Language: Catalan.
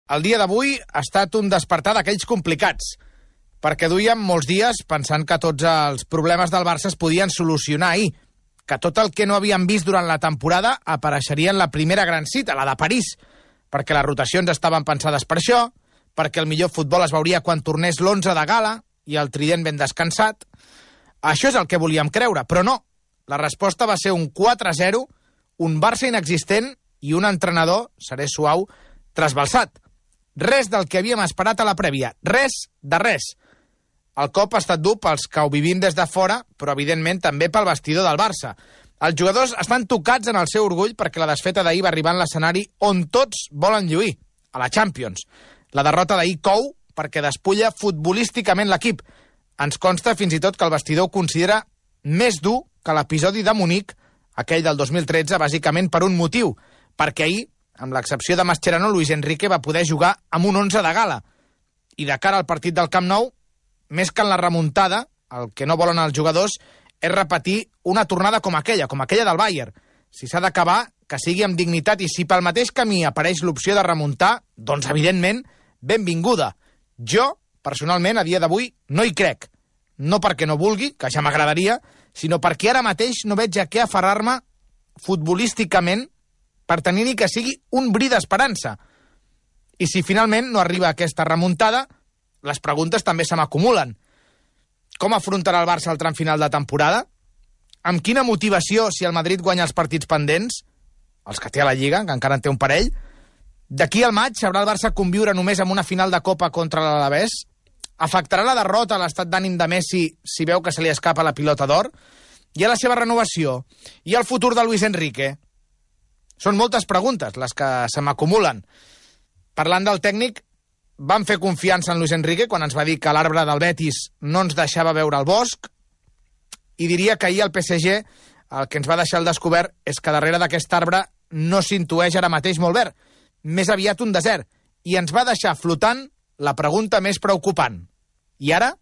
el dia d'avui ha estat un despertar d'aquells complicats, perquè duíem molts dies pensant que tots els problemes del Barça es podien solucionar ahir, que tot el que no havíem vist durant la temporada apareixeria en la primera gran cita, la de París, perquè les rotacions estaven pensades per això, perquè el millor futbol es veuria quan tornés l'11 de gala i el trident ben descansat. Això és el que volíem creure, però no. La resposta va ser un 4-0, un Barça inexistent i un entrenador, seré suau, trasbalsat. Res del que havíem esperat a la prèvia, res de res. El cop ha estat dur pels que ho vivim des de fora, però evidentment també pel vestidor del Barça. Els jugadors estan tocats en el seu orgull perquè la desfeta d'ahir va arribar en l'escenari on tots volen lluir, a la Champions. La derrota d'ahir cou perquè despulla futbolísticament l'equip. Ens consta fins i tot que el vestidor ho considera més dur que l'episodi de Munic, aquell del 2013, bàsicament per un motiu, perquè ahir, amb l'excepció de Mascherano, Luis Enrique va poder jugar amb un 11 de gala. I de cara al partit del Camp Nou, més que en la remuntada, el que no volen els jugadors és repetir una tornada com aquella del Bayern. Si s'ha d'acabar, que sigui amb dignitat, i si pel mateix camí apareix l'opció de remuntar, doncs, evidentment, benvinguda. Jo, personalment, a dia d'avui, no hi crec. No perquè no vulgui, que ja m'agradaria, sinó perquè ara mateix no veig a què aferrar-me futbolísticament per tenir ni que sigui un bri d'esperança. I si finalment no arriba aquesta remuntada, les preguntes també se m'acumulen. Com afrontarà el Barça el tram final de temporada? Amb quina motivació si el Madrid guanya els partits pendents? Els que té a la Lliga, que encara en té un parell. D'aquí al maig sabrà el Barça conviure només amb una final de Copa contra l'Alavés? Afectarà la derrota a l'estat d'ànim de Messi si veu que se li escapa la pilota d'or? I a la seva renovació? I al futur de Luis Enrique? Són moltes preguntes les que se m'acumulen. Parlant del tècnic, vam fer confiança en Luis Enrique quan ens va dir que l'arbre del Betis no ens deixava veure el bosc, i diria que ahir el PSG el que ens va deixar al descobert és que darrere d'aquest arbre no s'intueix ara mateix molt verd, més aviat un desert, i ens va deixar flotant la pregunta més preocupant. I ara?